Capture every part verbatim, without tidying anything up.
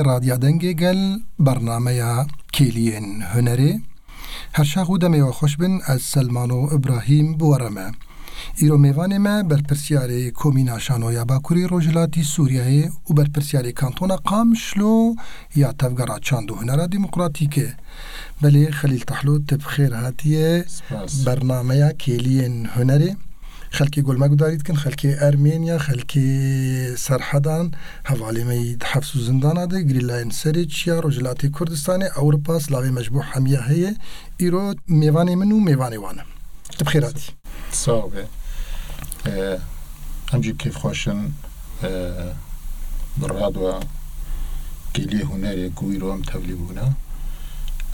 Radya Dengê Gel, bernameya Kêliyên Hunerê. Her çax û demê we xweş bin, ez Selmano Ibrahîm bi we re me. Îro mêvanê me berpirsiyarê Komîna Şano ya Bakurê Rojhilatî Sûriyeyê û berpirsiyarê Kantona Qamişlo ya Tevgera Çand û Hunera Demokratîk e. Belê Xelîl Tahlo, tu bi xêr hatiye Spas. bernameya Kêliyên Hunerê. Xelkê ku li me gudarî dikin, xelkê Ermêniya, xelkê Serhedan, hevalê me yî di hefs û zindana de, girîlayên serê çiya Rojhilatê Kurdistanê, Ewropa, silavê me ji bo hemiya heye. Îro mêvanê min û mêvanê wan e. Tu bi xêr hatî. Sağ be. Ee, em jî kêfxweş in, ee, bi radwa Kêliyê Hunerê ku îro em tevlî bûne.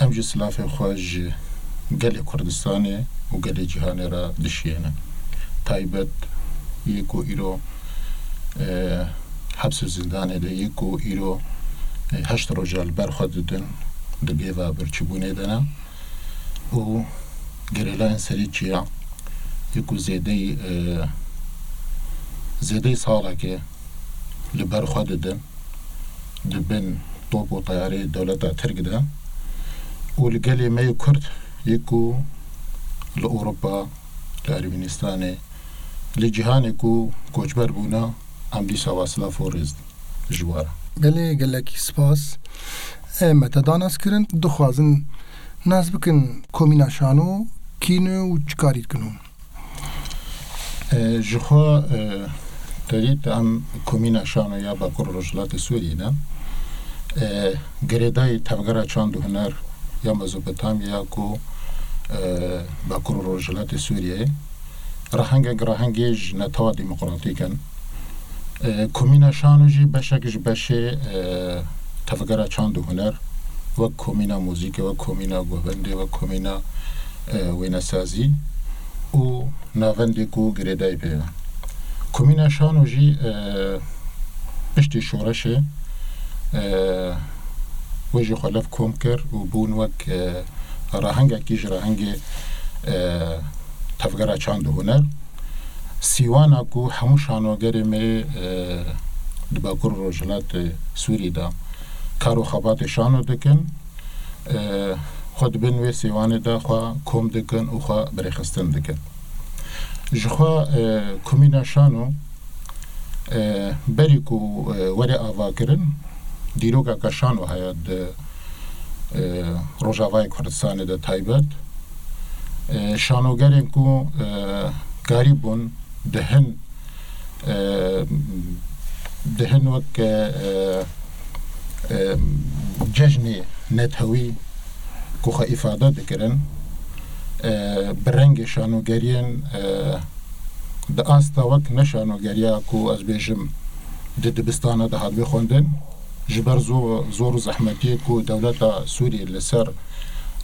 Em jî silafê xwe ji gelê Kurdistanê û gelê cîhanê re dişiyêne. Taybet yê ku îro, e, heps û zindanê de yê ku îro, e, heşt roja li ber xwe didin, di gêva birçîbûnê de ne. Û gerîlayên serê çiya yê ku zêdeyî, e, zêdeyî salekê li ber xwe didin, di bin top û teyarê dewleta Tirk de û li gelê me yê Kurd yê ku li Ewropa, li Ermenistanê, li cîhanê ku koçber bûne, em dîsa wa silav û rêz ji we re. Belê, gelekî spas. E, me te da nas kirin, dixwazin nas bikin Komîna Şano kî ne û çi karî dikin hûn? E, ji xwe, e, te dît em Komîna Şano ya Bakur Rojhilatê Sûriyê ne. E, girêdayî Tevgera Çand û Huner ya Mezopotamya ku, e, Bakur Rojhilatê Sûriyeyê, rehengek rehengê ji netewa demokratîk in. E, Komîna Şano jî beşek ji beşê, e, Tevgera Çand û Huner, wek komîna muzîkê, wek komîna govendê, wek komîna, e, wênesazî û navendê ku girêdayî pê ye. Komîna Şano jî, e, piştî şoreşê, e, wê ji xwe lev kom kir û bûn wek, e, rahengekî ji rahengê, e, Tevgera Çand û Huner. Sîwana ku hemû şanogerê me, e, di Bakur û Rojhilatê Sûrî de kar û xebatê şano dikin, e, xwe di bin wê sîwanê de xwe kom dikin û xwe birêxistin dikin. Ji xwe, e, Komîna Şano, e, berî ku, e, were avakirin, dîrokeke şano heye di, e, Rojavayê Kurdistanê de taybet. E, şanogerên ku, e, karîbûn di hin, e, di hin wek, e, e, cejnê netewî ku xwe îfade dikirin, e, bi rengê şanogeriyên, e, di asta wek ne şanogeriya ku ez bêjim di dibistana de hatibê xwendin, ji ber zo-, zor û zehmetiyê ku dewleta Sûriyê li ser,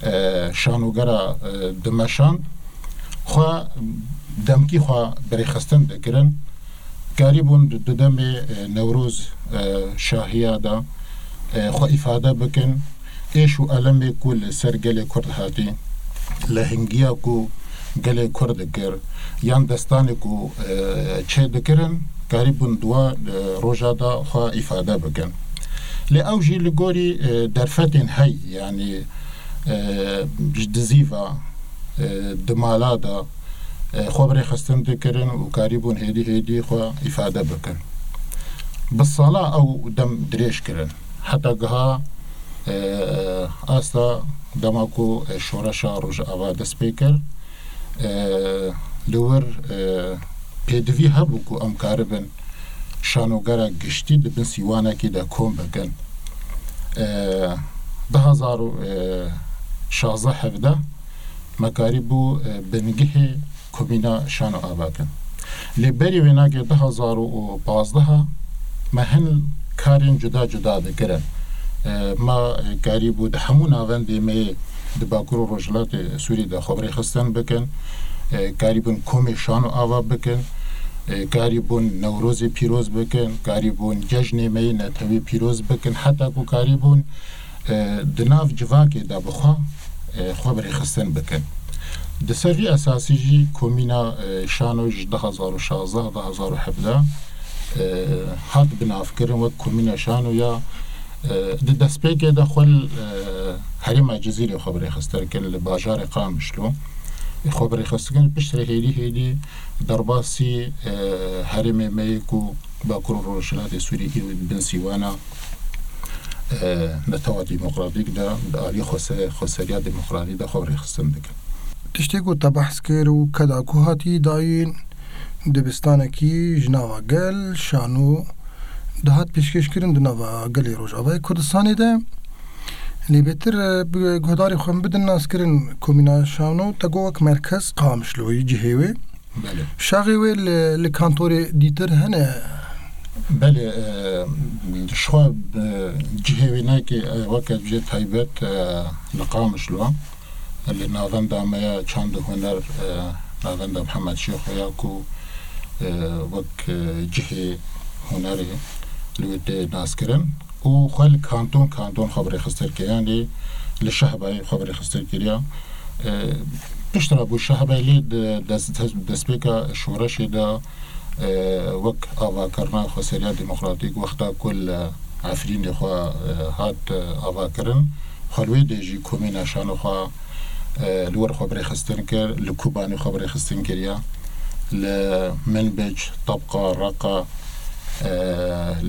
e, şanogera, e, dimeşand, xwe demkî xwe birêxistin dikirin. Karîbûn di, di demê, e, Newroz, e, şahiya de, e, xwe îfade bikin. Êş û elemê ku li ser gelê Kurd hatî, lehingiya ku gelê Kurd dikir, yan destanê ku, e, çê dikirin, karîbûn di wa, e, roja de xwe îfade bikin. Lê ew jî li gorî, e, derfetên hey, yanî, e, ji dizî ve, e, di mala de, e, xwe birêxistin dikirin û karîbûn hêdî hêdî xwe îfade bikin. Bi sala ew dem dirêj kirin. Heta giha, e, asta dema ku, e, şoreşa Rojava dest pê kir, e, li wir, e, pêdivî hebû ku em karibin şanogera giştî di bin sîwanekî de kom bikin. E, du hazar û şazdeh hevdeh me karîbû, e, bingihê Komîna Şano ava kin. Lê berî wê nagê du hazar û pazdeh me hin karên cuda cuda dikirin. E, me, e, karîbû di hemû navendê me yê di Bakur û Rojhilatê Sûrî de xwe birêxistin bikin. E, karîbûn komê şano ava bikin. E, karîbûn Newrozê pîroz bikin. Karîbûn cejnê me yê netewî pîroz bikin. Heta ku karîbûn, e, di nav civakê de bi xwe, e, xwe birêxistin bikin. Di ser vî esasî jî Komîna, e, Şano ji du hazar û şazdeh, du hazar û hevdeh, e, hat binavkirin wek Komîna Şano ya, E, di destpêkê de xwe li, e, herêma Cizîrê xwe bi rêxistin kir, li bajarê Qamişlo. Xwe bi rêxistin kir, piştre hêdî hêdî derbasî, e, herêmê me yê ku Bakur û Rojhilatê Sûriyê îro di bin sîwana, e, netewa demokratîk de, di alî xwese-, xweseriya demokratîk de xwe bi rêxistin dikin. Tiştê ku te behs kir û keda ku hatî dayîn, dibistanekî ji nava gel, şano, dihat pêşkêşkirin di nava gelê Rojavayê Kurdistanê de. Lê bêtir, e, bi guhdarê xwe bidin naskirin komîna şano, te got wek merkez Qamişloyê cihê wê. Belê. Şaxê wê li, li kantorê dîtir hene? Belê, e, ji xwe, e, cihê wê nake, e, weke cihê taybet, e, li Qamişlo. Li navenda me ya çand û huner, e, navenda Mihemed Şêxo ya ku, e, wek, e, cihê hunerê li wê tê naskirin. Û xwe li kanton, kanton xwe bi rêxistin kiriye, yanî li Şehbayê xwe bi rêxistin kiriye. E, piştre bû Şehbayê lê di dest-, destpêka şoreşê de, e, wek avakirina xweseriya demokratîk wexta ku li Efrînê xwe, e, hat, e, avakirin, xwe li wê dê jî komîna şano xwe, e, li wir xwe bi rêxistin kir, li Kobanê xwe bi rêxistin kiriye, li Minbic, Tebqa, Reqa, e,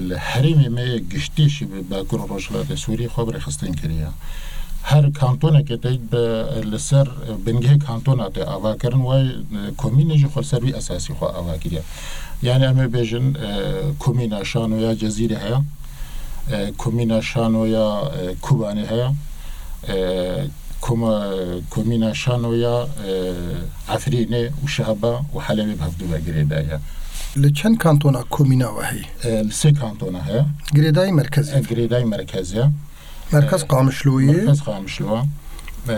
li herêmê me yê giştî jî bi Bakur û Rojhilatê Sûriyê xwe bi rêxistin kiriye. Her kantonekê tê bi, li ser bingehê kantona tê avakirin, wê, e, komînê jî xwe li ser wî esasî xwe ava kiriye. Yanî em ê bêjin, e, komîna şano ya Cezîrê heye, e, komîna şano ya, e, Kobanê heye, e, koma-, komîna şano ya, e, Efrînê û Şehba û Helebê bi hevdû ve girêdayî ye. Li çend kantona komîna we heye? E, li sê kantona heye. Girêdayî merkezê. E, girêdayî merkezê. Merkez E, Qamişloyê. Merkez Qamişlo. E,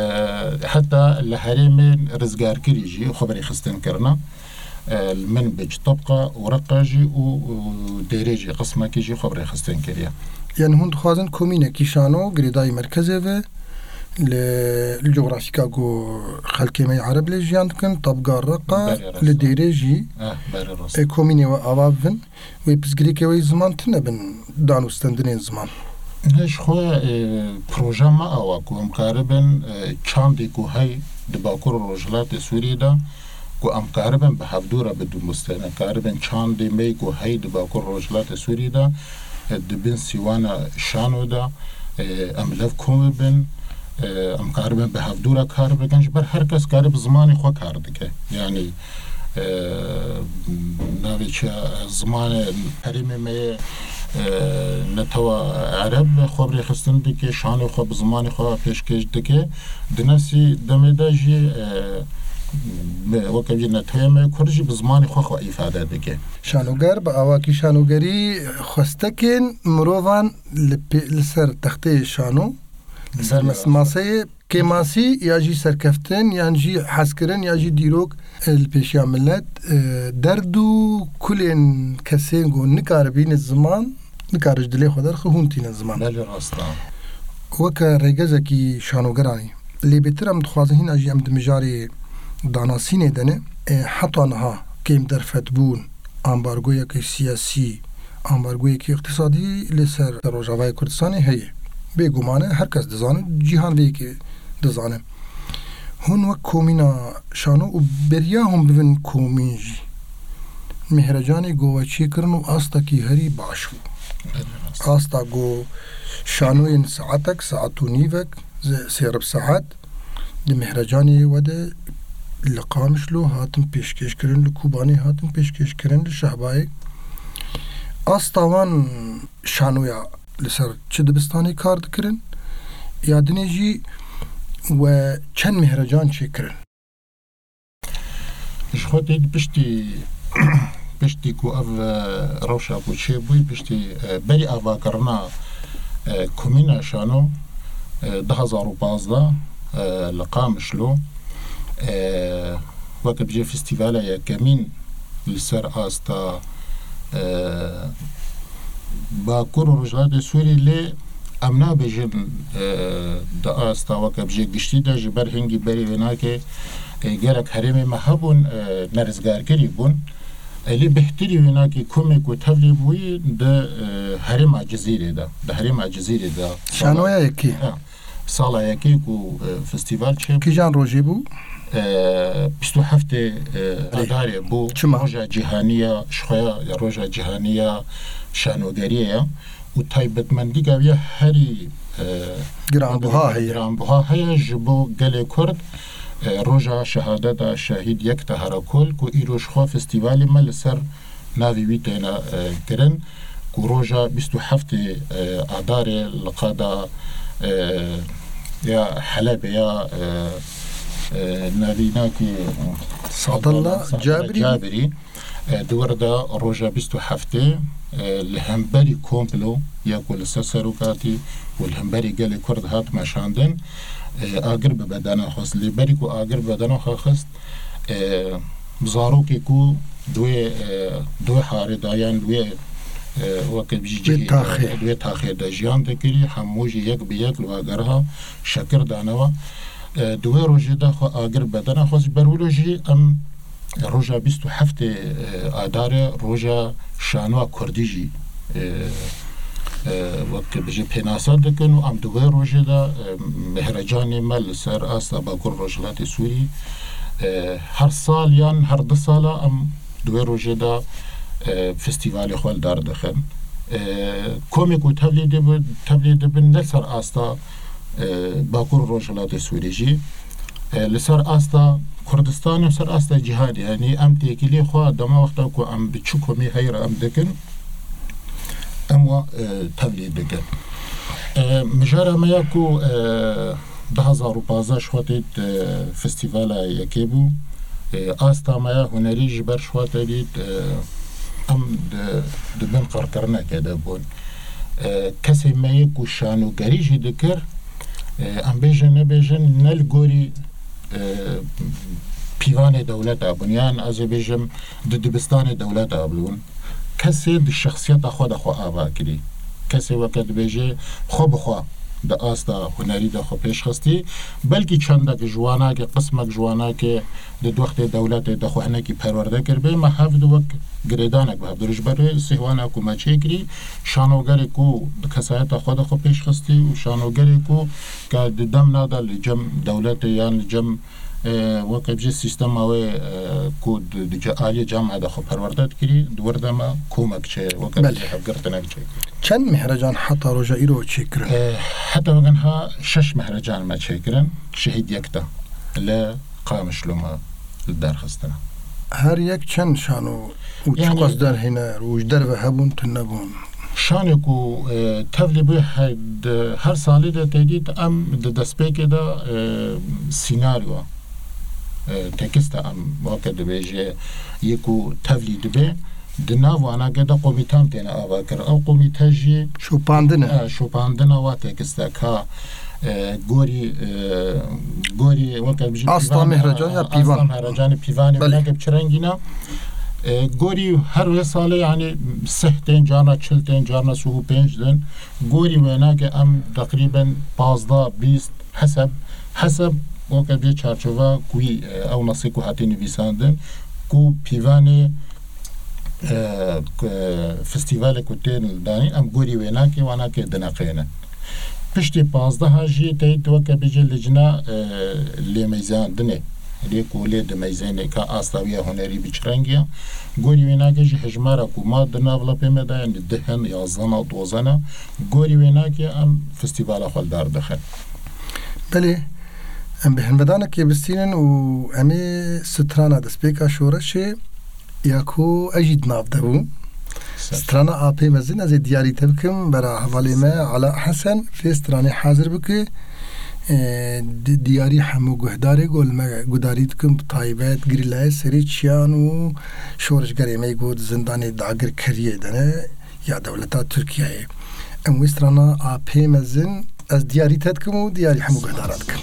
heta li herêmên rizgarkirî jî xwe bi rêxistin kirine. E, li Minbic, Tebqa û Reqa jî û, û Dêrê jî qismekî jî xwe bi rêxistin kiriye. Yanî hûn dixwazin komînekî şano girêdayî merkezê ve li, li cografîka ku xelkê me yê Ereb lê jiyan dikin, Tebqa, Reqa, Belê, rast e. Li Dêrê jî, Eh, belê, rast e. E, komînê we ava bibin. Wê pirsgirêkê wê ziman tune bin dan û stendinên ziman. Ji xwe, e, proja me awa ku em karibin, e, çandê ku hey di Bakur û Rojhilatê Sûriyê de ku em karibin bi hevdû re bidin bistêne, karibin çandê me ku hey di Bakur û Rojhilatê Sûriyê de, e, di bin sîwana şano de, e, em lev kom bibin, e, em karibin bi hevdû re kar bikin, ji ber her kes kare bi zimanê xwe kar dike. Yanî, e, navê çi, zimanê herêmê me yê, e, netewa Ereb xwe bi rêxistin dike, şanê xwe bi zimanê xwe pêşkêş dike. Di nefsî demê de jî, e, me, weke jî netewê me Kurd jî bi zimanê xwe xwe îfade dike. Şanoger bi awakî şanogerî xwestekên mirovan li pê-, li ser texteyê şano, li ser Belê, mes-, rast e. maseyê kêmasî ya jî serkeftin, yan jî hezkirin, ya jî dîrok, e, li pêşiya milet, e, derd û kulên kesên ku nikare bînin ziman, nikare ji dilê xwe derxe, hûn tînin ziman. Belê, rast e. Weke rêgezekî şanogeranî, lê bêtir em dixwazin hîna jî em di mijarê danasînê de ne, e, heta niha kêm derfet bûn, ambargoyeke siyasî, ambargoyeke îqtîsadî li ser Rojavayê Kurdistanê heye. Bêguman e, her kes dizane, cîhan vê yekê dizane. Hûn wek komîna şano û beriya hûn bibin komîn jî, mihrecanê ku we çêkirin û astekî herî baş bû. Belê, rast. Asta ku şanoyên saetek, saet û nîvek, ze-, sê rib saet, di mihrecanê we de li Qamişlo hatin pêşkêşkirin, li Kobanê hatin pêşkêşkirin, li Şehbayê. Asta wan şanoya li ser çi dibistanê kar dikirin, ya dinê jî we çend mihrecan çêkirin? Ji xwe tê piştî, piştî ku ev, e, rewşa ku çêbûyî, piştî, e, berî avakirina, e, komîna şano, e, du hazar û pazdeh, e, li Qamişlo, e, weke bijê festîvala yekemîn li ser asta, e, Bakur û Rojhilatê Sûrî lê em nabêjin, e, di asta weke bijê giştî de ji ber hingî berî wê nake, e, gelek herêmê me hebûn, e, nerizgarkirî bûn. Elî Bihtirî wênakî komê ku tevlî bûyî di, e, herêma Cizîrê de, di herêma Cizîrê de. Şanoya yekê. Ha, sala yekê ku, e, festîval çêbû. Kîjan rojê bû? E, bîst û heftê, e, Erê. Adarê bû. Çima? Roja cîhanî ya, ji xwe ya, ya roja cîhanî ya şanogeriyê ye. Û taybetmendîka wî ya herî, e, Giranbuha heye. Giranbuha heye ji bo gelê Kurd, e, roja şehadeta şehîd Yekta Herakol ku îro ji xwe festîvalê me li ser navê wî têne, e, kirin, ku roja bîst û heftê, e, Adarê li qada, e, ya Helebê ya, e, e, navînakî Sadullah Sadullah Cabirî. Cabirî, e, di wir de roja bîst û heftê, e, li hemberî komplo ya ku li ser serokatî û li hemberî gelê Kurd hat meşandin, e, agir bi bedena xwe xist. Lê berî ku agir bi bedena xwe xist, e, zarokê ku di wê, e, di wê harê de yan di wê, e, weke jî Wê cihê de, taxê. Di wê taxê de jiyan dikirî, hemû jî yek bi yek li wageriha şekir danewa. E, di wê rojê de xwe agir bedena xwe ji ber wilo jî em roja bîst û heftê, e, Adarê roja şanoya Kurdî jî, e, e, wek bêje pênase dikin û em di wê rojê de, e, mehrecanê me li ser asta Bakur Rojhilatê Sûrî, e, her sal yan her du sala em di wê rojê de, e, festîvalê xwe li dar dixin. E, komê ku tevlî dibi-, tevlî dibin ne ser asta, e, Bakur Rojhilatê Sûrî jî, e, li ser asta Kurdistanê û ser asta cîhanê, yanî em têkilî xwe dema wexta ku em bi çi komî heyra em dikin, em wa, e, tevlî dikin. E, mijara me ya ku, e, du hazar û pazdeh ji xwe têt, e, festîvala yekê bû. E, asta me ya hunerî ji ber ji xwe te dît, e, em di, di bin qirkirinekê de bûn. E, kesê me yê ku şanogerî jî dikir, e, em bêjin nebêjin, ne li gorî, e, pîvanê dewleta bûn, yan ez ê bêjim di dibistanê dewleta bûn. Kesê di şexsiyeta xwe de xwe ava kirî. Kesê weke dibêje xwe bi xwe di asta hunerî de xwe pêş xistî. Belkî çendek ji wanakê, qismek ji wanakê di wextê dewletê de xwe hinekî perwerde kiribê. Me hev di wek girêdanek bi hev di ji ber sêwana ku me çêkirî, şanogerê ku di kesayeta xwe de xwe pêş xistî û şanogerê ku ke di dem nade li cem dewletê yan li cem, e, weke bêje sîstema wê, e, ku di, di ce-, aliyê camiye de xwe perwerde dikirî, di wir de me komek çê, weke Belê. Bêje hevgirtinek çêkirî. Çend mehrecan heta roja îro çêkirin? E, heta weke niha şeş mehrecan me çêkirin, şehîd yek de li Qamişlo me li dar xistine. Her yek çend şano û Yani çiqas derhêner û ji derve hebûn, tune bûn? Şanê ku, e, tevlî bû he-, di her salê de tê dît, em di destpêkê de, e, sînaryo, e, tekîsta em weke dibêje yê ku tevlî dibe, di nav wanakê de komîtan têne ava kir. Ew komîte jî Şopandin e. E, şopandina wa tekîsta ka, e, gorî, e, gorî weke bijî Asta pîvan, mehrecan ya e, pîvan. Asta mehrecanê pîvanê Belê. Bineke bi çi rengî ne? E, gorî her wê salê, yanî sih tên, carna çil tên, carna sih û pênc din. Gorî wênakê em teqrîben pazdeh, bîst, heseb, heseb, weke bê çarçova ku wî, e, ew nasê ku hatî nivîsandin, ku pîvanê, e, ku, e, festîvalê ku tên danîn, em gorî wênakê, wanakê dineqêne. Piştî pazdeha jî teyt weke bêje licna, e, lêmeyzandinê. Lê ku lê dimeyzêne ka asta wî ya hunerî bi çi rengî ya. Gorî wênakê jî hejmara ku ma di nav lapê me de, yanî dih in, yazdeh in, dozdeh in. Gorî wênakê em festîvala xwe li dar dixin. Belê, em bi hinvedanekê bistînin û em ê strana destpêka şoreşê ya ku ez jî di nav de bûm. Ser. Strana Apê Mezin ez ê diyarî te bikim, bera hevalê me Ala Hesen vê stranê hazir bike. E, di-, diyarî hemû guhdarê ku li me guhdarî dikin, bi taybet girîlayê serê çiyan û şoreşgerê me ku di zindanê dagirkeriyê de ne ya dewleta Tirkiyeyê. Em wê strana Apê Mezin ez diyarî te dikim û diyarî hemû guhdaran dikim.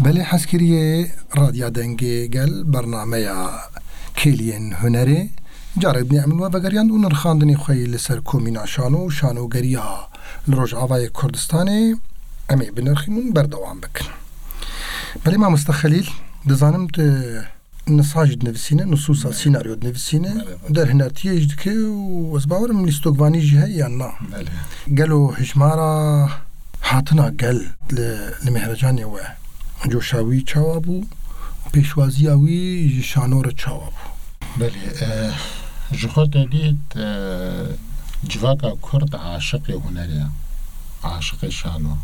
Belê hezkiriyê Radya Dengê Gel bernameya Kêliyên Hunerê carek din em li we vegeriyand û nirxandinê xwe yê li ser komîna şano û şanogeriya li Rojavayê Kurdistanê em ê binirxînin û berdewam bikin. Belê mamoste Xelîl, dizanim tu nisa jî dinivîsîne, nusûsa sînaryo dinivîsîne, Belê, belê. derhinertiyê jî dike û ez bawerim lîstokvanî jî heye yan na. Belê. Gelo hijmara hatina gel li, li Mehrecanê we, coşa wî çawa bû, pêşwaziya wî ji şano re çawa bû? Belê, e, ji xwe te dît, e, civaka Kurd aşiqê hunerê ye, aşiqê şano.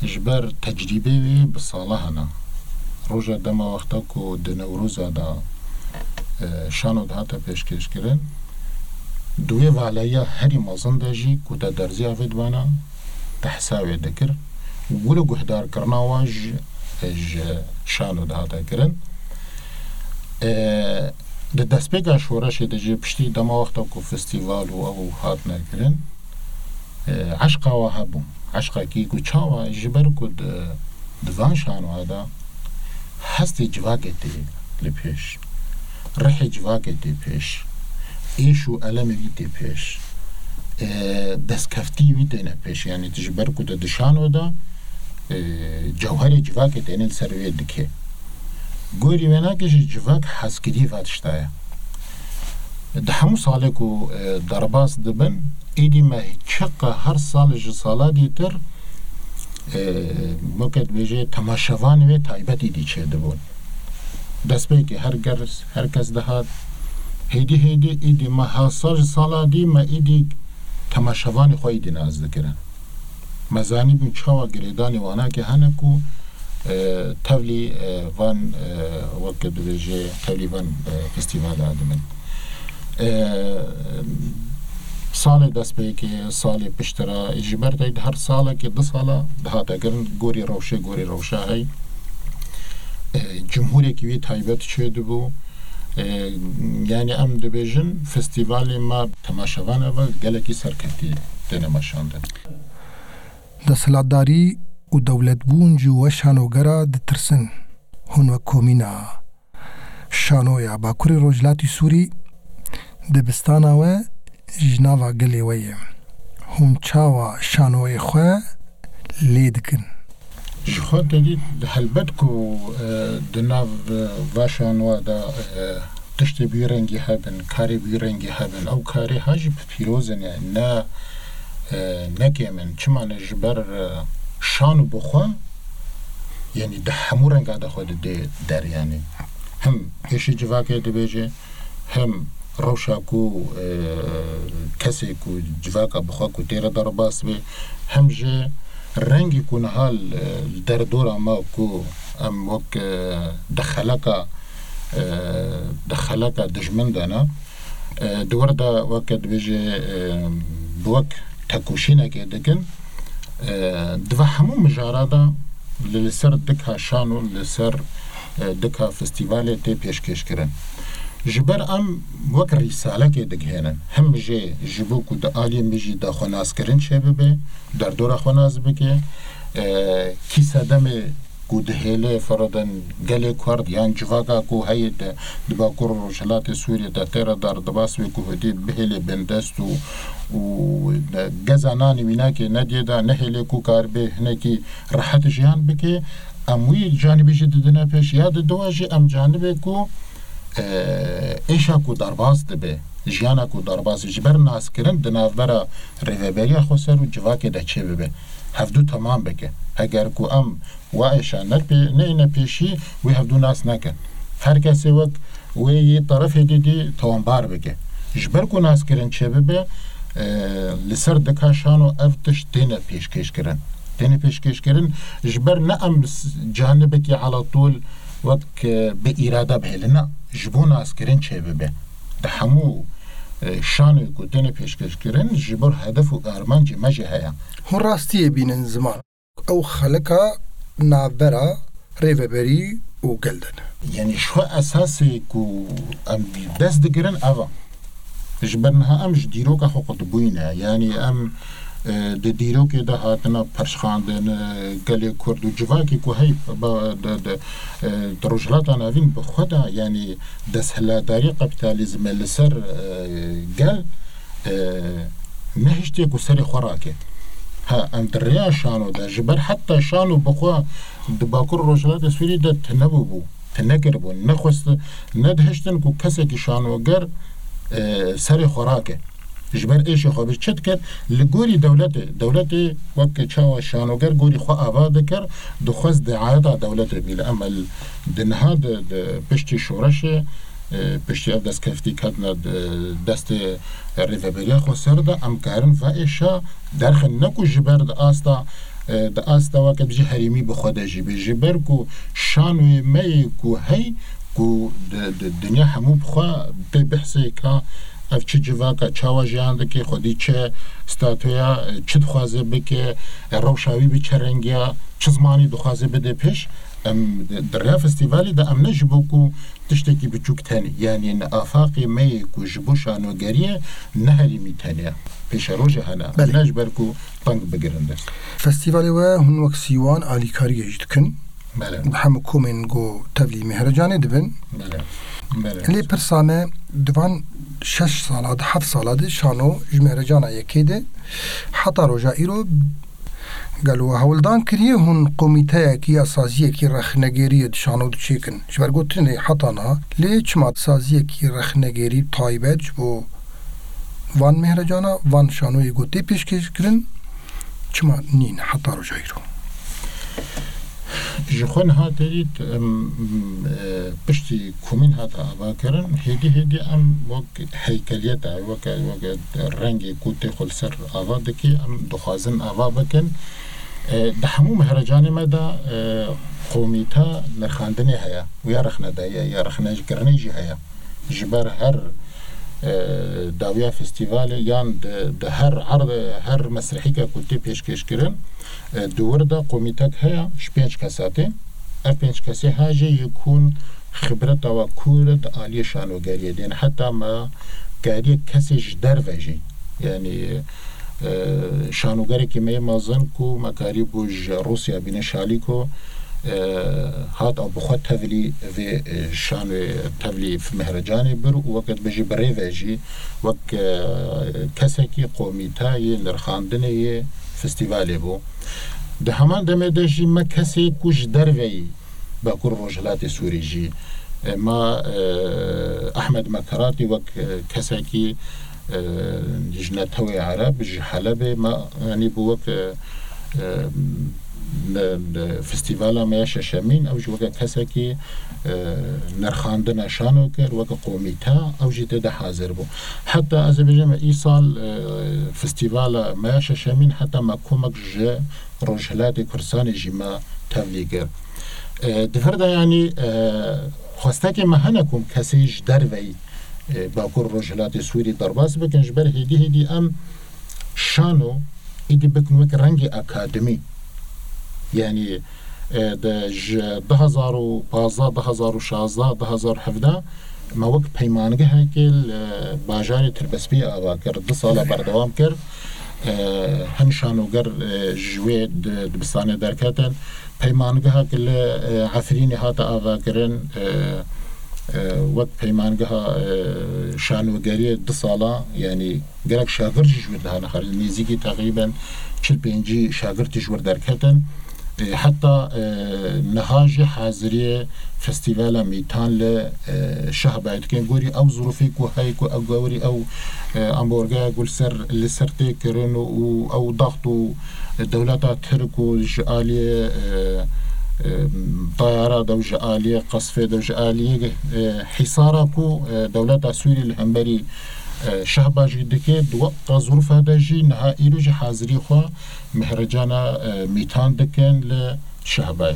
Ji ber tecrîbê wî bi sala hene. Roja dema wexta ku di Newroza de, e, şano dihate pêşkêşkirin, di wê valeya herî mezin de jî ku te derziya vê dibana, te hesabê dikir. Wilo guhdarkirina wan ji, ji şano dihate kirin. E, di destpêka şoreşê de jî piştî dema wexta ku festîval û ew hatine kirin, e, eşqa we hebû. Eşqekî ku çawa ji ber ku di, di van şanoya de hestê civakê tê li pêş, rihê civakê tê pêş, êş û elemê wî tê pêş, e, destkeftî wî têne pêş. Yanî tu ji ber ku tu di şano de, e, cewherê civakê têne li ser wê dike. Gorî wênakê jî civak hezkirî va tişta ye. Di hemû salê ku, e, derbas dibin, êdî me çiqa her sal ji sala dîtir, e, weke dibêje temaşevanê wê taybet êdî çêdibûn. Destpêkê her ger, her kes dihat, hêdî hêdî êdî me her sal ji sala dî me êdî temaşevanê xwe êdî nas dikirin. Me zanîbûn çawa girêdanê wanakê hene ku, e, tevlî, e, van, e, weke dibêje tevlî van, e, festîvala dibin. E, salê destpêkê, salê piştre, ji ber tey her salekê, du sala dihate kirin, gorî rewşê, gorî rewşa hey. E, cumhûrekî wî taybet çêdibû. E, yanî em dibêjin, festîvalê me temaşevan eve gelekî serketî têne meşandin. Desthilatdarî û dewletbûn ji we şanogera ditirsin. Hûn wek komîna şanoya Bakurê Rojhilatî Sûrî dibistana we ji nava gelê we ye. Hûn çawa şanoyê xwe lê dikin? Ji xwe te dît, helbet ku, e, di nav, e, va şanoya de, e, tiştê bi wî rengî hebin, karê bi wî rengî hebin. Ew karê ha jî pîroz in, yani ne, e, ne kêm in. Çima ne ji ber, e, şano bi xwe, yani di hemû renga de xwe dide der yani. Him êşî civakê dibêje, him rewşa ku, e, kesê ku civaka bi xwe ku tê re derbas be, him jî rengî ku niha li, li derdora me ku em wek, e, di xeleka, e, di xeleka dijmin de ne, e, di wir de weke dibêje, e, bi wek tekoşînekê dikin, e, di va hemû mijara de li, li ser dika şano, li ser, e, dika festîvalê tê pêşkêşkirin. Ji ber em wek rîsalekê digihênin. Him jê ji bo ku di aliyê min jî de xwenaskirin çêbibe, derdora xwe nas bike, e, kî sedemê ku dihêle, fereden gelê Kurd yan civaka ku heye di, di Bakur û Rojhilatê Sûriyê de tê re derdibas wê ku hûdî bihêle bindest û, û geza nanê wînakê nediyê de nehêle ku karibe hinekî rehet jiyan bike. Em wî canibê jî didine pêş ya di dua jî em canibê ku, e, êşa ku derbas dibe, jiyana ku derbas ji ber naskirin di navbera rêveberiya xweser û civakê de çêbibe. Hevdû temam bike. Heger ku em wa êşa ne pê-, neyne pêşî, wê hevdû nas nekin. Her kesê wek wê yê terefê dî dî tawanbar bike. Ji ber ku naskirin çêbibe, e, li ser dika şano ev tişt têne pêşkêşkirin. Têne pêşkêşkirin, ji ber ne em s-, canibekî ala tol wek, e, bi îrade bihêlin. Na, ji bo naskirin çêbibe. Di hemû, e, şanoyê ku têne pêşkêşkirin, ji bo hedef û armancê me jî heye. Hûn rastiyê bînin ziman. Ew xelika navbera rêveberî û gel de ne. Yanî ji xwe esasê ku em dest digirin ev e. Ji ber niha em ji dîroka xwe qutibûyî ne. Yanî em e, di dîrokê de hatine perçxandin, e, gelê Kurd û civakê ku hey ba-, di, di, e, di Rojhilata Navîn bi xwe de, yanî desthilatdarî kapîtalîzmê li ser, e, gel, e, nehiştiye ku serê xwe rake. Ha, em di rêya şano de, ji ber heta şano bi xwe di Bakur Rojhilatê Sûrî de tune bûbû, tune kiribûn, nexwest, nedihiştin ku kesekî şanoger, e, serê xwe rake. Ji ber êşê xwe bi çi dikir? Li gorî dewletê, dewletê wek çawa şanoger gorî xwe ava dikir, dixwest diayeta dewletê bî. Li emel di niha di, di piştî şoreşê, e, piştî ev destkeftî ketine di destê rêveberiya xweser de, em karin va êşa derxin, ne ku ji ber di asta, e, di asta weke jî herêmî bi xwe de jî bê. Ji ber ku şanoyê me yê ku hey, ku di, di dinya hemû bi xwe tê behsê ka ev çi civaka, çawa jiyan dike, xwedî çi statuya, çi dixwaze bike, rewşa wî bi çi rengiya, çi zimanî dixwaze bide pêş. Em di, di rêya festîvalê de em ne ji bo ku tiştekî biçûk tenê, yanî li afaqê me yê ku ji bo şanogeriyê ne herêmî tenê ye. Pêşerojê hene. Belê. Ne ji ber ku teng bigirin dest. Festîvalê we hûn wek sîwan alîkariyê jî dikin. Belê. Bi hemû komên ku tevlî Mehrecanê dibin. Belê. Belê. Lê pirsa me, di van şeş sala, di heft sala de şano ji Mehrecana yekê de heta roja îro gelo hewldan kiriye hûn komîteyekî ya saziyekî rexnegêriyê di şano de çêkin? Ji ber gotinê heta niha, lê çima saziyekî rexnegêrî taybet ji bo van Mehrecana, van şanoyê ku tê pêşkêşkirin, çima nîn heta roja îro? Ji xwe niha terît, em, e, piştî komîn hate avakirin, hêdî hêdî em wek heykeliyeta, weke, weke rengê ku tê xwe li ser ava dikê, em dixwazin ava bikin. E, di hemû mehrecanê me de, e, komîta nirxandinê heye û ya rexnedayiye, ya rexnekirinê jî heye. Ji ber her, e, dawiya festîvalê yan di, di her erd, her mesrehîke ku tê pêşkêşkirin, e, di wir de komîtek heye ji pênc kesa tê. Ev pênc kesê ha jê yek hûn xibreta we kûr di aliyê şanogeriyê de. Heta me kariye kesê ji derve jî, yanî, e, şanogerekî me yê mezin ku me karîbû ji Rûsya bîne Şalîko, e, hat ew bi xwe tevlî vê, e, şanoyê tevlî Mehrecanê bir û weke dibêjî bi rê ve jî wek, e, kesekî komîtayê nirxandinê yê festîvalê bû. Di heman demê de jî me kesê ku ji derveyî Bakur Rojhilatê Sûrî jî, e, me, e, Ehmed Mekeratî wek, e, kesekî, e, ji netewê Ereb, ji Helebê me, yanî bû wek, e, e, ne, ne, festîvala me ya şeşemîn, ew jî weke kesekî, e, nirxandina şano kir, weke komîte, ew jî tê de hazir bû. Heta ez ê bêjim, îsal, e, festîvala me ya şeşemîn, heta me komek ji Rojhilatê Kurdistanê jî me tevlî kir. E, di vir de, yanî, e, xwestekê me hene ku kesê ji derveyî, e, Bakur Rojhilatê Sûrî derbas bikin, ji ber hêdî hêdî em şano êdî bikin wek rengê akademî. Yanî, e, de ji du hezar û pazdeh, du hezar û şazdeh, du hezar û hevdeh me wek peymangehekê li bajarê Tirbespiyê ava kir, du sala berdewam kir. E, hin şanoger, e, ji wê di, dibistanê derketin. Peymangehek li, e, Efrînê hate avakirin, e, e, wek peymangeha, e, şanogeriyê du sala, yanî gelek şagird jî ji wê dihane xarij, nêzîkî teqrîben çil pêncî şagird jî ji wir derketin. E, heta, e, niha jî haziriyê festîvala Mîtan li, e, Şehbayê dikin. Gorî ew zirûfê ku heye ku ew gorî ew, e, ambargoya ku li ser, li ser tê kirin û, û ew daxt û dewleta Tirk û ji aliyê, e, e, tayara de û ji aliyê qesfê de û ji aliyê, e, hîsara ku, e, dewleta Sûrî li hemberî, e, Şehba jî dike, di weka zirûfa de jî niha îro jî hazirî xwe Mehrecana, e, Mîtan dikin li Şehbayê.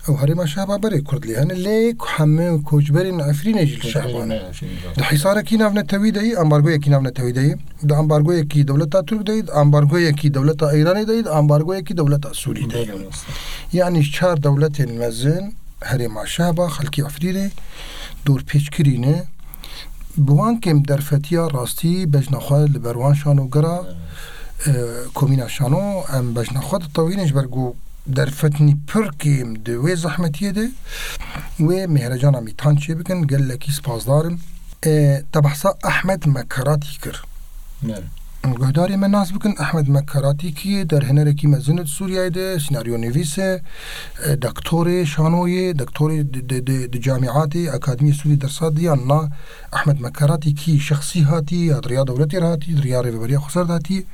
Ew herêma Şehba berê Kurd lê hene, lê ku hemû koçberên Efrînê jî li Şehba ne. Koçberên Efrînê, evet. Di hîsarekî navnetewî de yî, ambargoyekî navnetewî de yî, di ambargoyekî dewleta Tirk de yî, di ambargoyekî dewleta Îranê de yî, di ambargoyekî dewleta Sûrî de yî. Belê, rast. Yanî çar dewletên mezin herêma Şehba, xelkê Efrînê dorpêçkirî ne. Bi wan kêm derfetiya rastî bejna xwe li ber wan şanogera, evet, E, Komîna Şano, em bejna xwe ditewînin ji ber ku derfetinî pir kêm di wê zehmetiyê de wê Mihrecana Mîtan çêbikin. Gelekî spasdar im. E, te behsa Ehmed Mekaratî kir. Em guhdarê me nas bikin, Ehmed Mekaratî kî ye? Derhênerekî mezin e di Sûriyeyê de, sînaryonivîs e, e, doktorê şanoyê, doktorê di, di, di, di camîatê, akademiyê Sûrî dersa diyan na. Ehmed Mekaratî kî şexsî hatî, ya di riya dewletê re hatî, di riya Rêveberiya Xweser de hatî.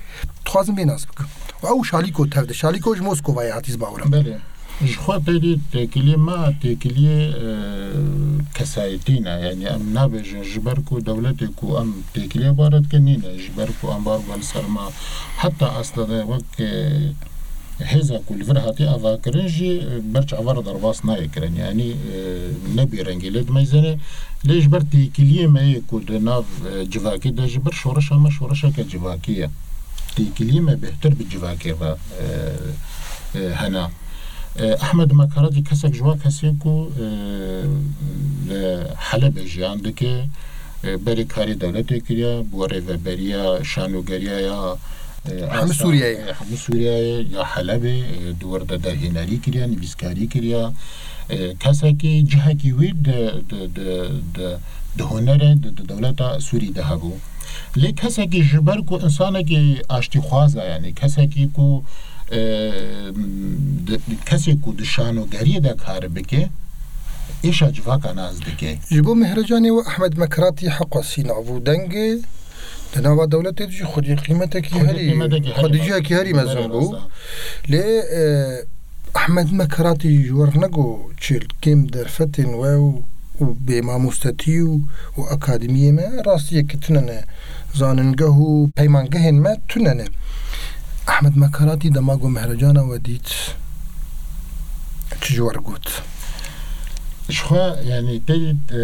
Dixwazim vê nas bikim. Û ew Şalîko tev de, Şalîko ji Moskovayê hatî, ez bawer im. Belê. Ji xwe têdî têkiliyê me, têkiliyê, e, kesayetî ne. Yanî em nabêjin ji ber ku dewletê ku em têkiliyê bare dikin nîne, ji ber ku em bar bûn ser me. Heta aslında wek, e, hêza ku li vir hatî avakirin jî, e, ber çava re derbas nayê kirin. Yanî, e, ne bêrengî lê dimeyzêne. Lê ji ber têkiliyê me yê ku di nav, e, civakê de ji ber şoreşa me şoreşeke civakî ye. Têkiliyê me bêhtir bi civakê re, e, e, hene. E, Ehmed Mekaratî kesek ji wan kesê ku, e, li Helebê jiyan dike, e, berê karê dewletê kiriya, bi rêveberiya şanogeriya ya, e, Hemû asa-, Sûriyeyê. E, hemû Sûriyeyê ya Helebê, e, di wir de derhênerî kiriya, nivîskarî kiriya. E, kesekî cihekî wî di, di, di, di, di hunerê, di, di dewleta Sûrî de hebû. Lê kesekî ji ber ku insanekî aştîxwaz e, yanî kesekî ku, e, di, kesê ku di şanogeriyê de kar bike, êşa civaka nas dike. Ji bo Mihrecanê we Ehmed Mekratî heqa sînav û dengê di nava dewletê de jî xwedî qîmetekî Xwedî herî, qîmetekî herî xwedî mezin. Cihekî herî mezin Belê bû. Rast e. Lê, e, Ehmed Mekaratî ji we re nego çêl kêm derfetên we û, û bêmamostetî û, û akademiyê me rastiyeke tune ne. Zanîngeh û peymangehên me tune ne. Ehmed Mekaratî dema ku Mehrecana we dît, çi ji we re got? Ji xwe, yanî, te dît, e,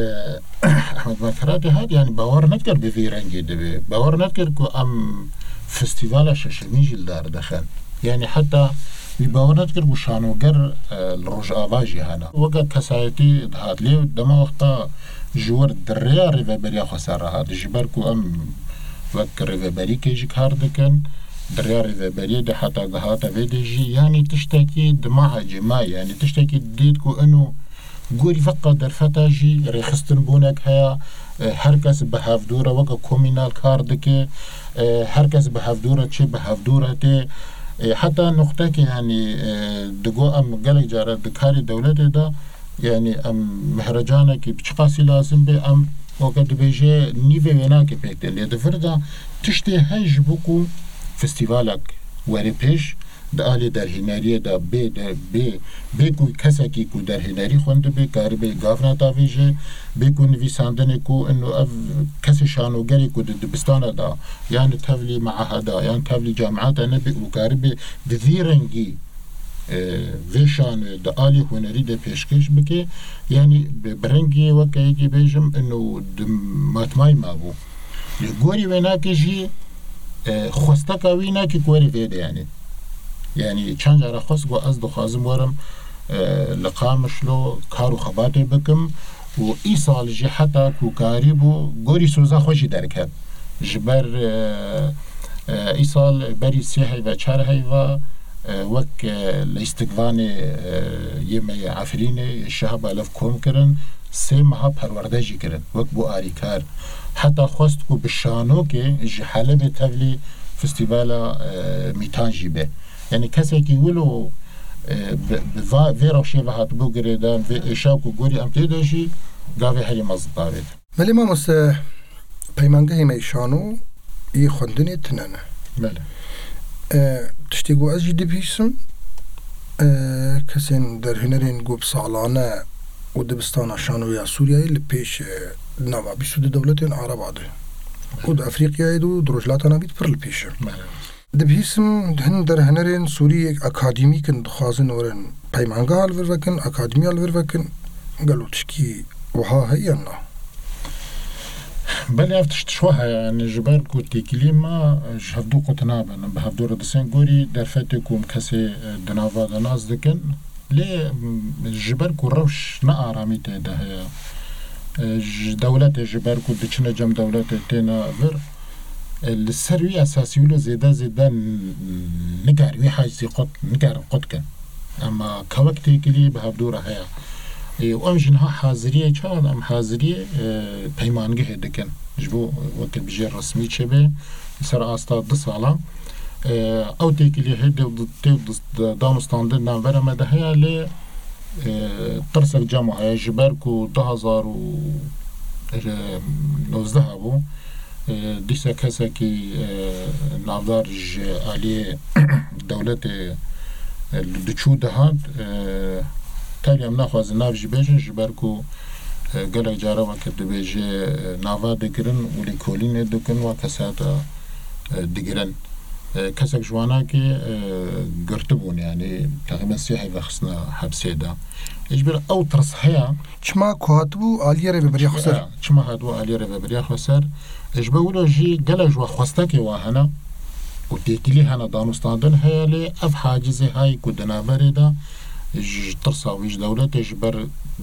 Ehmed Mekaratî hat, yanî, bawer nedikir bi vî rengî dibe. Bawer nedikir ku em festîvala şeşemîn jî li dar dixin. Yanî heta wî bawer nedikir ku şanoger, e, li Rojava jî hene. Weke kesayetî dihat. Lê dema wexta ji wir di rêya Rêveberiya Xweser re hat. Ji ber ku em wek rêveberîkê jî kar dikin, di rêya rêveberiyê de heta gihate vê de jî, yanî tiştekî dima ecêma, yanî tiştekî dît ku ino Gorî veqa derfeta jî rêxistinbûnek heye, e, her kes bi hevdû re weke komînal kar dike, e, her kes bi hevdû re çê bi hevdû re tê. E, heta nuqtekê, yanî, e, digo em gelek care di karê dewletê de, yanî em mihrecanekî bi çiqasî lazim bê, em weke dibêje nîvê wênakê pêk tê. Lê di vir de tiştê heye ji bo ku festîvalek were pêş, di alî derhêneriyê de bê de, bê, bê ku kesekî ku derhênerî xwendibe, karibê gavna davêje, bê ku nivîsandinê ku ino ev kesê şanogerê ku di dibistana de, yan di tevlî meaheda, yan tevlî camiata nebe û karibê bi vî rengî, e, vê şanoyê di alî hunerî de pêşkêş bike, yanî bi, bi rengî weke yekî bêjim, ino di matmayî mabû. Li gorî wênakê jî, e, xwesteka wî nake ku were vê de, yanî. Yanî çend cara xwest ku ez dixwazim werim, e, li Qamişlo kar û xebatê bikim û îsal jî heta ku karîbû gorî soza xwe jî derket. Ji ber, e, e, îsal berî sê heyve, çar heyve, e, wek, e, lîstikvanê, e, yê me yê Efrînê, Şehba Lev kom kirin, sê meha perwerde jî kirin, wek bû arîkar. Heta xwest ku bi şanokê ji Helebê tevlî festîvala, e, Mîtan jî be. Yanî kesekî wilo, e, bi, bi va, vê rewşê ve hatibû girêdan, vê êşa ku gorî em tê de jî gavê herî mezin davêt. Belê mamoste, peymangehê me yê şano yê xwendinê tune ne. Belê. E, tiştê ku ez jî dibihîsim, e, kesên derhênerên ku bi salane û dibistana şanoya Sûriyeyê li pêş, e, di nava bîst û du dewletên Araba de û di Efrîqyayê de û di Rojhilata Navî de pir li pêş e. Belê. Dibihîsim hin derhênerên Sûrî yek akademîk in, dixwazin werin peymangeha li vir vekin, akademiya li vir vekin. Gelo tişkî wiha heye yan na? Belê ev tişt ji xwe heye, yanî ji ber ku têkilî me ji hevdû qut nabin. Em bi hevdû re disên gorî derfetê ku em kesê, e, di nava de nas dikin. Lê, m, ji ber ku rewş ne aramî tê de heye, e, ji dewletê ji ber ku diçine cem dewletê têne vir, E, li ser wî esasî wilo zêde zêde n-, nikar wî hacizî qut, nikarin qut kin. Ema kewek têkilî bi hevdû re heye. E, û em jî niha haziriyê çawa em haziriyê, e, peymangehê dikin. Ji bo weke bijê resmî çêbe, li ser asta du sala. E, ew têkilî hê de, tê danûstandin navbera me de heye lê, e, tirsek cema heye ji ber ku du hazar û nozdeh hebû. E, dîsa kesekî, e, navdar ji aliyê dewletê, e, diçû dihat, e, tevî em naxwazin nav jî bêjin ji ber ku, e, gelek cara weke dibêje, e, nava digirin û lêkolînê dikin wa kesata, e, digirin. E, kesek ji wana ki, e, girtibûn, yani teqrîben sê heyve xistine hepsê de. Ji ber ew tirs heye. Çima ku hatibû aliyê rêveberiya xweser? Ya, çima hatibû aliyê rêveberiya xweser? Ji ber wilo jî gelek ji we xwestekê wa hene û têkilî hene, danûstandin heye lê ev hacizê hay ku di navberê de ji tirsa wî ji dewletê ji ber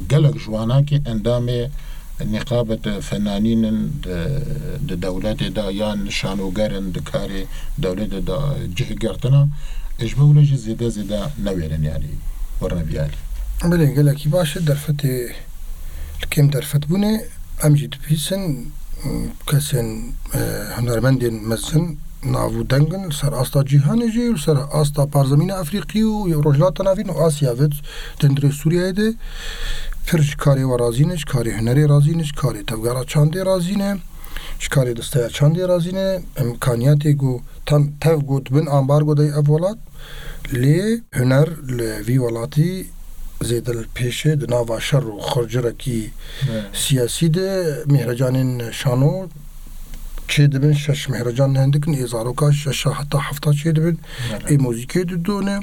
gelek ji wana ki endamê nîqabet fenanîn in di, di dewletê de yan şanoger in di karê dewletê de cih girtina, ji ber wilo jî zêde zêde newêrin, yani werine vî alî. Belê, gelekî baş e, derfetê li kêm derfet bûne, em jî dibihîsin, kesên, e, hunermendên mezin, nav û deng in li ser asta cîhanê jî, li ser asta parzemîna Efrîqî û Rojhilata Navîn û Asya ve di hundirê Sûriyeyê de pir ji karê we razî ne, ji karê hunerê razî ne, ji karê tevgera çandê razî ne, ji karê disteya çandê razî ne. Îmkaniyatê ku tam tev ku di bin ambargo de ye ev welat, lê huner li vî welatî zêde li pêş e, di nava şer û xurcirekî Evet. siyasî de mîhrecanên şano çêdibin, şeş mîhrecan nihendikin, ê zaroka şeşa heta hefta çêdibin, Evet. ê muzîkê didone,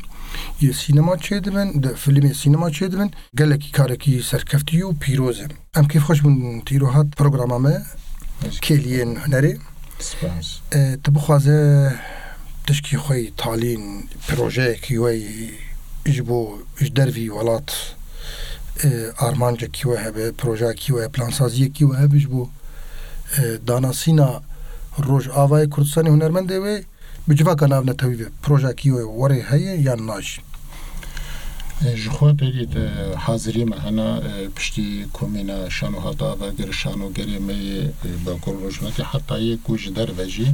yê sînema çêdibin, di filmê sînema çêdibin. Gelekî karekî serkeftî û pîroz e. Em kêfxweş bûn tu îro hat programa me, Kêliyên Hunerê. Spas. E, tu bixwaze tişkî xwe yî talîn, projeyekî we yî ji bo, ji dervî welat, e, armancekî we hebe, projeyekî we, plansaziyekî we hebe ji bo, e, danasîna Rojavayê Kurdistanê, hunermendê wê bi civaka navnetewî ve, projeyekî we werê heye yan na jî? E, ji xwe derî de hazirî me hene, e, piştî komîna şano hate avagir, şanogerê me yê, e, Bakur Rojhilatê heta yê ku ji derve jî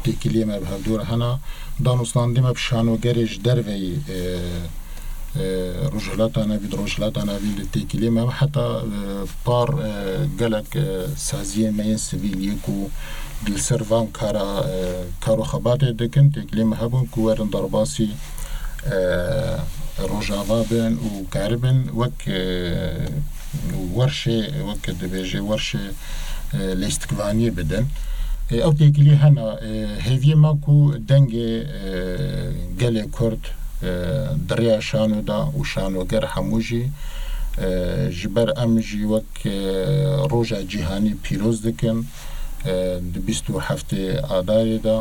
têkiliyê me bi hevdû re hene. Danûstandî me bi şanogerê ji derve yî, e, e, Rojhilata Navîn, Rojhilata Navîn de têkiliyê me heta, e, par, e, gelek, e, saziyên me yên sivîl yê ku li ser van kara, e, kar û xebatê dikin, têkiliyê me hebûn ku werin derbasî, e, Rojava bin û karibin wek, e, werşê, wek dibêje werşê, e, lêstikvaniyê bidin. E, ew têkilî hene, e, hêviyê me ku dengê, e, gelê Kurd, e, di rêya şano de û şanoger hemû jî, e, ji ber em jî wek, e, roja cîhanî pîroz dikin, e, di bîst û heftê Adarê de,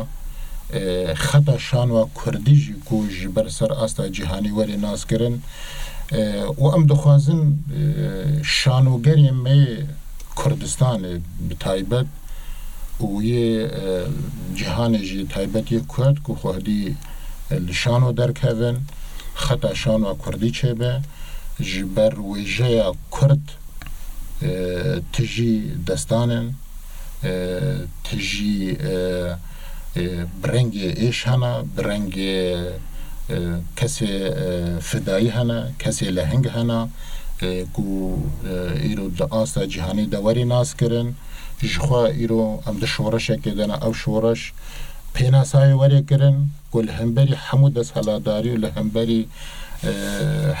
e, xeta şanoa Kurdî jî ku ji ber ser asta cîhanî were naskirin, e, û em dixwazin, e, şanogerê me yê Kurdistanê bi taybet û yê, e, cîhanê jî taybet yê Kurd ku xwedî, e, li şano derkevin, xeta şanoa Kurdî çêbe, ji ber wêjeya Kurd, e, tijî destan in, e, tijî, e, e, bi rengê êş hene, bi rengê, e, kesê, e, fidayî hene, kesê leheng hene, e, ku, e, îro di asta cîhanî de werî nas kirin. Jixwe îro em di şoreşekê de ne, ew şoreş pênasayê werê kirin ku li hemberî hemû desthilatdarî û li hemberî, e,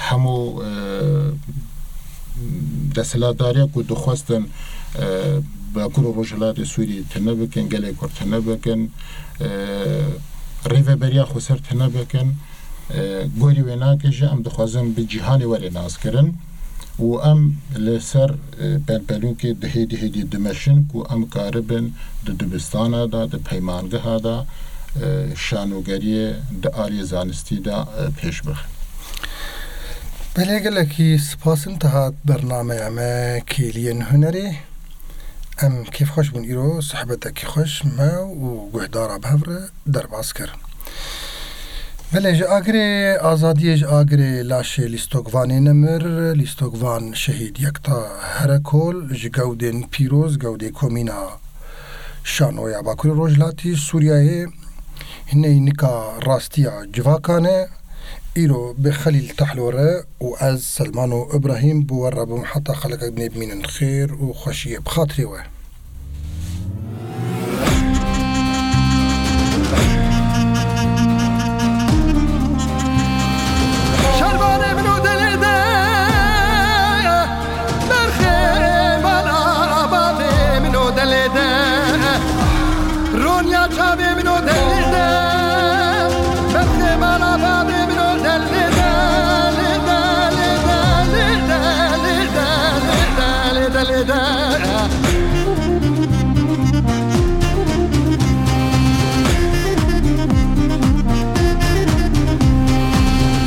hemû, e, desthilatdariya ku dixwestin, e, Bakur û Rojhilatê Sûriyê tune bikin, gelê Kurd tune bikin, e, rêveberiya xweser tune bikin, e, gorî wê nake jî em dixwazin bi cîhanê were naskirin. Û em li ser, e, pelpelûkê di hêdî hêdî dimeşin ku em karibin di dibistana de, di peymangeha de, e, şanogeriyê di aliyê zanistî de, e, pêş bixin. Belê, gelekî spas in, te hat bernameya me Kêliyên Hunerê. Em kêfxweş bûn îro, sohbetekî xweş me û guhdara bi hev re derbas kir. Belê ji agirê azadiyê, ji agirê laşê Lîstokvanê nemir, Lîstokvan şehîd Yekta Herekol, ji gewdên pîroz, gewdê komîna Şano ya Bakurê Rojhilatî Sûriyeyê, hiney nika rastiya civakan e. Îro bi Xelîl Tahlo re û ez, Selmano Ibrahîm, bi we re bûm heta xelekek dinê bimînin. Xêr û xweşiyê bi xatirê we. Şervanê min û dilê de, berxê bala bavê min û dilê de, roniya çavê min û dilê de, berxê bala bavê min û dilê de, lê de, lê de, lê de, lê de, lê de, lê de, lê de, lê de, lê de.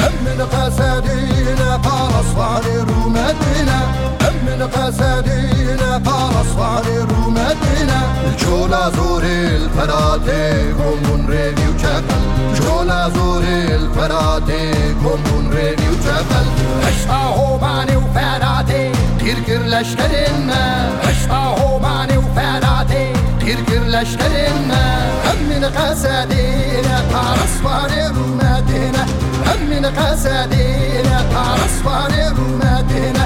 Em min qesedîne parasvanê rûmetîne. Em min qesedîne parasvanê rûmetîne. Cola zorê li Feratê kom bûn rêvî û çepel. Cola zorê li Feratê kom bûn rêvî û çepel. Heşta Homanê û Feratê qîr kir leşkerên me. Heşta Homanê û Feratê qîr kir leşkerên me. Em min qesedîne parasvanê rûmetîne. Em min qesedîne parasvanê rûmetîne.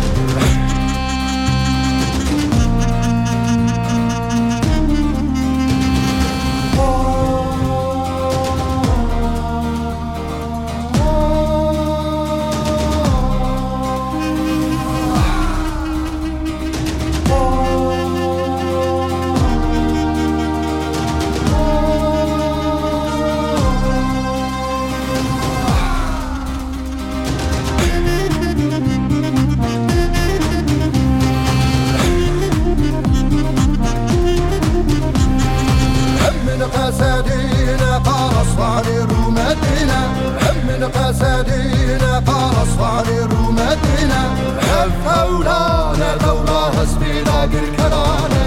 Em min qesedîne parasvanê rûmetîne. Em min qesedîne parasvanê rûmetîne. Ev hewlane dewla hespî dagirkerane.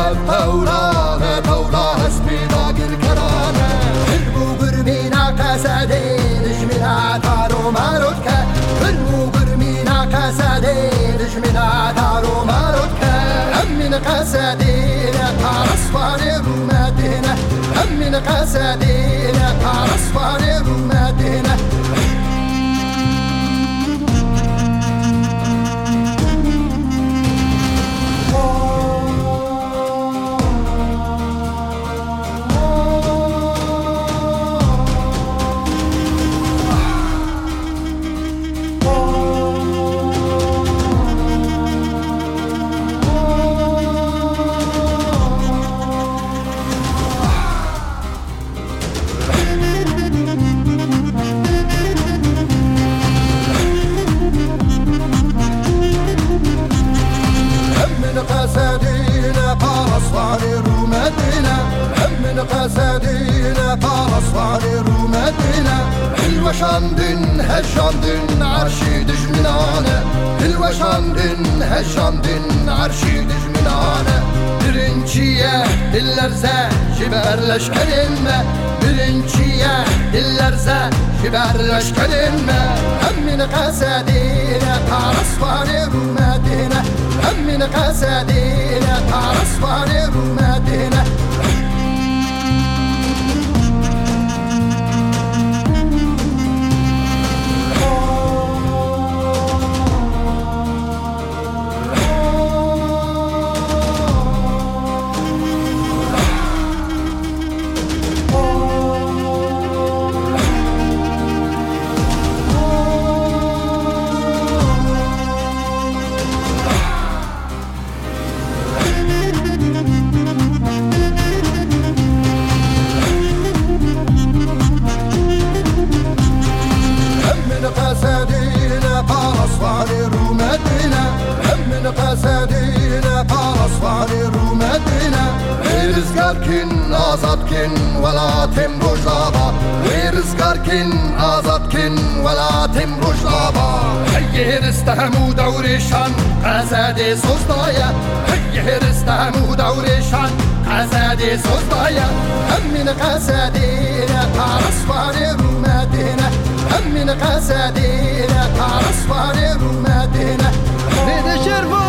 Ev hewlane dewla hespî dagirkerane. Hilm û gurmîna qesedê dijmîna taro maro dike. Hilm û gurmîna qesedê dijmîna taro maro dike. Em min qesedîne parasvanê rûmetîne. Em min qesedîne parasvanê rûmetîne. Em min qesedîne parasvanê rûmetîne. Em min qesedîne parasvanê rûmetîne. Hilweşandin, hejandin, arşî dijminane. Hilweşandin, hejandin, arşî dijminane. Birinci ye, dil lerze, ji ber leşkerên me. Birinci ye, dil lerze, ji ber leşkerên me. Em min qesedîne parasvanê rûmetîne. Em min qesedîne parasvanê rûmetîne. Em min qesedîne parasvanê rûmetîne. Em min qesedîne parasvanê rûmetîne. Ê rizgar kin, azad kin welatêm Rojava. Ê rizgar kin, azad kin welatêm Rojava. Heyê rist Hemû dewrêşan qesedê soz daye. Hey, hêris hemû dewrêşan qesedê soz daye. Hemîn qesedê ne tarisvarê rûmetê ne. Hemîn qesedê ne tarisvarê rûmetê ne. Bêde şerva